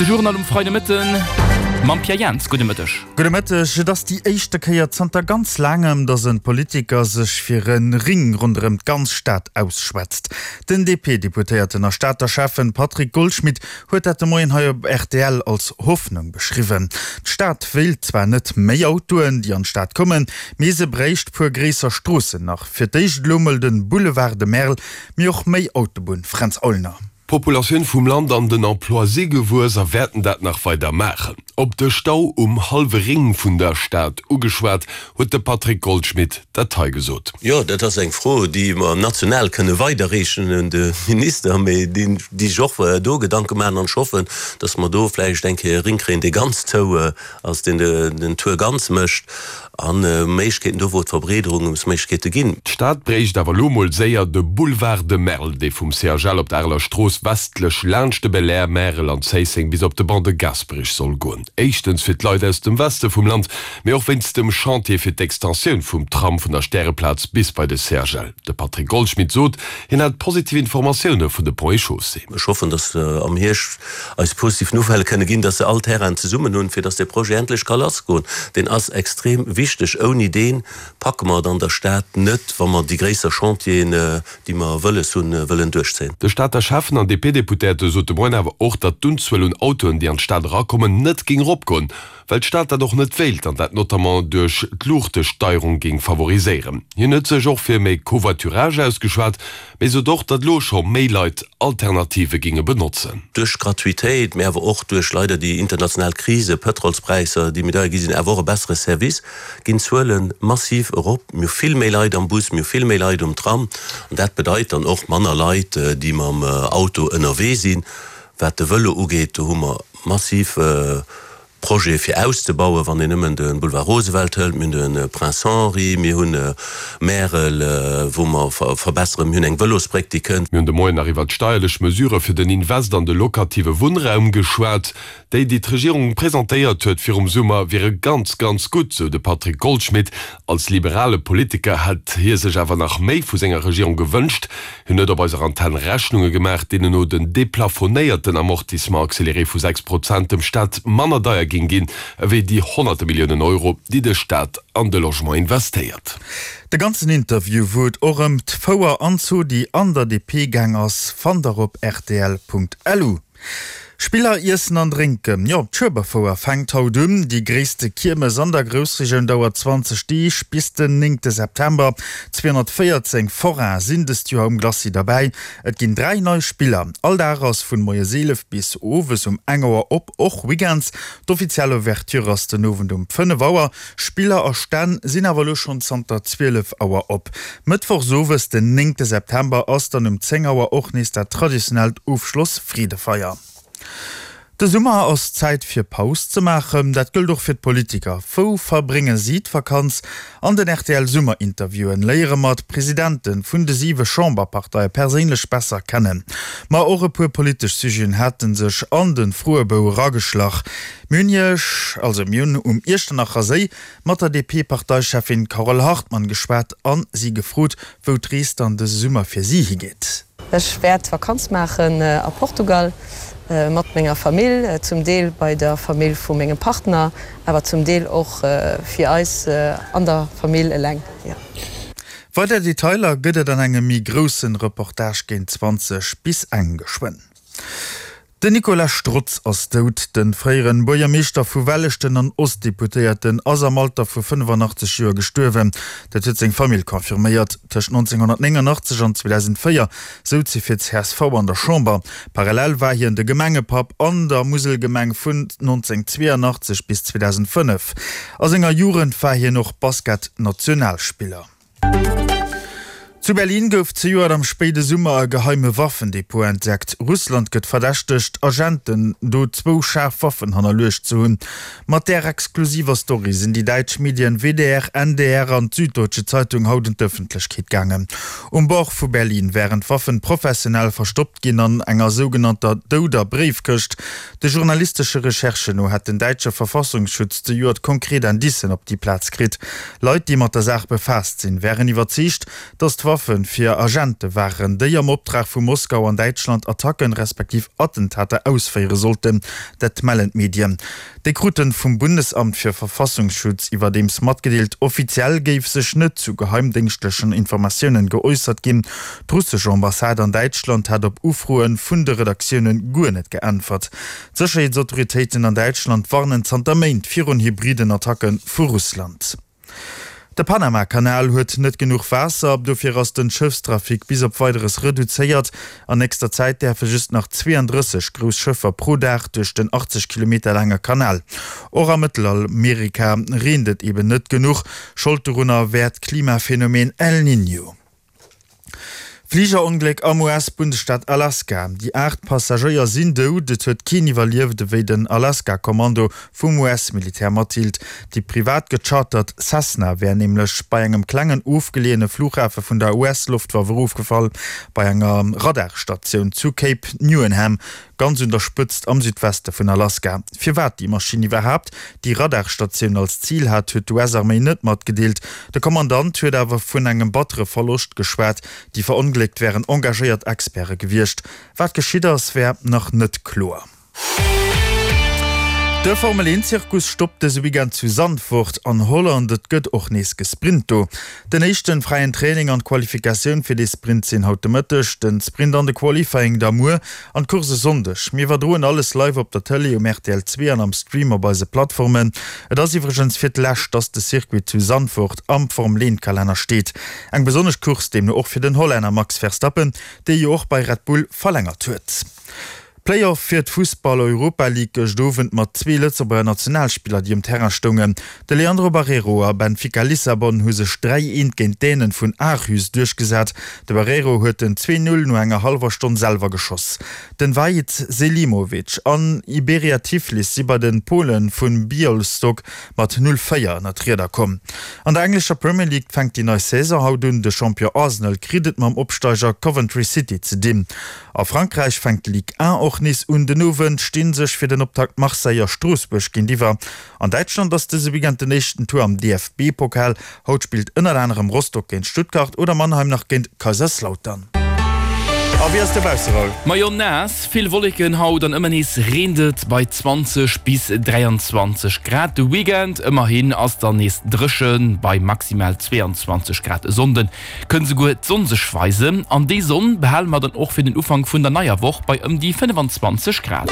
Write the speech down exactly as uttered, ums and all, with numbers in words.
De Journal um Freidemëtten mam Pierre Jans. Gudde Mëtteg. Gudde Mëtteg. Et ass déi éischte Kéier zanter ganz laangem, datt e Politiker sech fir e Ring ronderëm d'ganz Stad ausschwätzt. Den D P-Deputéierten a Stater Schäffen Patrick Goldschmidt huet dat de Moien hei op R T L als Hoffnung beschriwwen. D'Stad wéilt zwar net méi Autoen, déi an d'Stad kommen, mee se bréicht puer gréisser Stroossen nach. Fir d'éischt elo mol de Boulevard de Merl, mee och méi Autobunn. Fränz Aulner. D'Populatioun vum Land an den Emploi si gewuess a wäerten dat nach weider maachen. Op de Stau um hallwe Ring vun der Stad ugeschwat, huet de Patrick Goldschmidt dat hei gesot. Jo, dat ass eng Fro, déi mer national kënne weiderreechen un de Minister, mee déi déi sech och do Gedanke maachen an ech hoffen, dass mer do vläicht eng Kéier e Ring kréien, dee ganz zou ass, deen den Tour ganz mécht a Méiglechkeeten do wou et Verbreederungsméiglechkeete ginn. D'Stad bréicht awer lo mol séier de Boulevard de Merl, dee vum C H L op der Areler Strooss westlech laanscht de Belair, Märel an Zéisseng bis op de Ban de Gasperich soll goen. Éischtens fir d'Leit aus dem Weste vum Land, mee och wéinst dem Chantier fir d'Extensioun vum Tram vun der Stäreplaz bis bei de C H L. De Patrick Goldschmidt sot, hien hätt positiv Informatioune vun de Ponts et Chaussées. Ech hoffen, dass am Hierscht eis positiv Nouvellë kënne ginn, dass se all Terrainen zesummen hunn, fir dass dee Projet endlech ka lassgoen. Deen ass extrem wichteg. Ouni dee packe mer et an der Stad net, wa mer déi gréisser Chantieren, déi mer wëlles hunn, wëllen duerchzéien. De Stater Schäffen an D P-Deputéierte sot de Moien awer och, datt d'Unzuel un Autoen, déi an d'Stad erakommen, net géing eropgoen, well d'Stad dat och net wéilt an dat notamment duerch d'Luuchtesteierung géing favoriséieren. Hien huet sech och fir méi Covoiturage ausgeschwat, mee sot och, datt lo scho méi Leit Alternative géinge benotzen. Duerch Gratuitéit, mee awer och duerch leider déi international Krise, Pëtrolspräisser, déi méi deier gi sinn, awer och e bessere Service, ginn d'Zuele massiv erop. Mir hu vill méi Leit am Bus, mir hu vill méi Leit um Tram an dat bedeit dann och manner Leit, déi mam Auto ënnerwee sinn. Wat de Vëlo ugeet, do hu mer massiv Projete fir auszebauen, wann een nëmmen de Boulevard Roosevelt hëlt, mir hunn de Prince Henri, mir hunn Märel, wou mer verbesseren, mir hunn eng Vëlosbréck, déi kënnt. Mir hunn de Moien nach iwwer d'steierlech Mesure fir den Invest an de lokative Wunnraum geschwat. Déi, déi d'Regierung presentéiert huet virum Summer, wiere ganz, ganz gutt, sou de Patrick Goldschmidt. Als liberale Politiker hätt hie sech awer nach méi vu senger Regierung gewënscht. Hien huet op eiser Antenn Rechnunge gemaach, deenen no den deplafonéierten Amortissement accéléré vu sechs Prozent dem Staat manner deier géing ginn, ewéi déi honnerte Milliounen Euro, déi de Staat an de Logement investéiert. De ganzen Interview, wou et och ëm d'Fouer an Zodi an der D P gaang ass, fannt der op R T L Punkt L U. Spiller, Iessen an Drénken, jo, d'Schueberfouer fänkt haut un. Déi gréisste Kiermes an der Groussregioun dauert zwanzeg Deeg bis den néngte September. zweehonnertvéierzéng Foraine sinn dëst Joer um Glacis derbäi. Et ginn dräi nei Spiller. All Dag ass vun moies eelef bis owes um eng Auer op, och Weekends. D'offiziell Ouverture ass den Owend um fënnef Auer. Spiller a Stänn sinn awer elo schonn zanter zwielef Auer op. Mëttwochs owes, den néngte September, ass dann um zéng Auer och nees dat traditionellt Ofschloss-Freedefeier. De Summer ass Zäit fir Paus ze maachen, dat gëllt och fir d'Politiker. Wou verbrénge si d'Vakanz? An den R T L-Summerinterviewen léiere mer d'Presidente vun de siwe Chamberparteie perséinlech besser kennen. Ma och e puer politesch Sujeten hate sech an de Froebou erageschlach. Mir hunn Iech, also mir hunn um Iechternacher Séi mat der D P-Parteicheffin Carole Hartmann geschwat an si gefrot, wou d'Rees dann dëse Summer fir si higeet. Ech wäert Vakanz maachen a Portugal mat menger Famill, zum Deel bei der Famill vu mengem Partner, awer zum Deel och fir eis an der Famill eleng. Weider Detailer gëtt et an engem méi grousse Reportage géint zwanzeg bis eng geschwënn. Den Nicolas Strotz ass dout. De fréiere Buergermeeschter vu Welleschten an Ostdeputéierten ass am Alter vu fënnefanachteg Joer gestuerwen. Dat huet seng Famill confirméiert. Tëscht nonzénghonnertnénganachtzeg an zweedausendvéier souz hie fir d'C S V an der Chamber. Parallel war hien de Gemengepapp an der Muselgemeng vun nonzénghonnertzweeanachtzeg bis zweedausendfënnef. A senger Jugend war hien och Basket-Nationalspiller. Zu Berlin gouf zejoert am spéide Summer e geheime Waffendepot entdeckt. Russland gëtt verdächtegt, Agenten do zwou schaarf Waffen hannerluecht ze hunn. Mat där exklusiver Story sinn déi däitsch Medien W D R, N D R an d'Süddeutsche Zeitung haut un d'Ëffentlechkeet gaangen. Um Bord vu Berlin wären d'Waffen professionell verstoppt ginn an enger sougenannter douder Bréifkëscht. De journalistesche Recherchen no hätt den däitsche Verfassungsschutz zejoert konkret Indicen op déi Plaz kritt. Leit, déi mat der Saach befaasst sinn, wären iwwerzeegt, datt d'Waffen Waffe fir Agente waren, déi am Optrag vu Moskau an Däitschland Attacken, respektiv Attentater ausféiere sollten. Dat mellen d'Medien. Déi kruten vum Bundesamt für Verfassungsschutz iwwerdeems matgedeelt, offiziell géif sech net zu geheimdéngschtlechen Informatiounen geäussert ginn. D'russesch Ambassade an Däitschland hat op Ufroe vun de Redaktioune guer net geäntwert. D'Sécherheetsautoritéiten an Däitschland warnen zanter Méint virun hybriden Attacke vu Russland. De Panama-Kanal huet net genuch Waasser, dofir ass den Schëffstrafic bis op Weideres reduzéiert. An nächster Zäit däerfe just nach zweeëndrësseg grouss Schëffer pro Dag duerch den achtzeg Kilometer laange Kanal. Och a Mëttelamerika reent et eben net genuch. Schold dorunner wär d'Klimaphenomen El Niño. Fligerongléck am U S-Bundesstaat Alaska, Déi aacht Passagéier sinn dout, et huet keen iwwerlieft, ewéi den Alaska-Kommando vum U S-Militär matdeelt. Déi privat gechartert Cessna wär nämlech bei engem klengen ofgeleeëne Flughafe vun der U S-Loftwaff erofgefall, bei enger Radarstatioun zu Cape Newenham, ganz un der Spëtzt am Südweste vun Alaska. Firwat déi Maschinn iwwerhaapt déi Radarstatioun als Zil hat, huet d'U S-Arméi net matgedeelt. De Kommandant huet awer vun engem battere Verloscht geschwat. Déi Verongléckt wären engagéiert Experte gewiescht. Wat geschitt ass, wär nach net kloer. De Formel een Zirkus stoppt dëse Weekend zu Zandvoort an Holland. Et gëtt och nees gesprint do. Den éischten fräien Training an d'Qualifikatioun fir de Sprint sinn haut de Mëtteg, den Sprint an de Qualifying da muer an d'Course e Sonndeg. Mir iwwerdroen alles live op der Tëlee um R T L zwee an am Stream op eise Plattformen. Et ass iwwregens fir d'lescht, dass de Circuit zu Zandvoort am Formel een Kalenner steet. Eng besonnesch Course deemno och fir den Hollänner Max Verstappen, dee jo och bei Red Bull verlängert huet. Playoff fir d'Fussball-Europa League gëscht Owend mat zwee Lëtzebuerger Nationalspiller, déi um Terrain stoungen. De Leandro Barreiro a Benfica Lissabon hu sech dräi eent géint d'Dänen vun Aarhus duerchgesat. De Barreiro huet den zwee Null no enger hallwer Stonn selwer geschoss. Den Vahid Selimovic an Iberia Tiflis si bei de Pole vu Bialystok mat null véier ënner d'Rieder komm. An der englescher Premier League fänkt déi nei Saison haut un. De Champion Arsenal kritt et mam Opsteiger Coventry City ze dinn. A Frankräich fänkt d'Ligue un och nees un. Den Owend sti sech fir den Optakt Marseille a Stroossbuerg géintiwwer. An Däitschland ass dëse Weekend den éischten Tour am D F B-Pokal. Haut spillt ënnert anerem Rostock géint Stuttgart oder Mannheim nach géint Kaiserslautern. A wéi ass de Bausseraul? Majo naass, vill Wolleken haut an ëmmer nees reent et bei zwanzeg bis dräianzwanzeg Grad. De Weekend ëmmerhin ass dann nees dréchen bei maximal zweeanzwanzeg Grad. E Sonnden kënnt souguer d'Sonn sech weisen an déi Sonn behale mer dann och fir den Ufank vun der neier Woch bei ëm déi fënnefanzwanzeg Grad.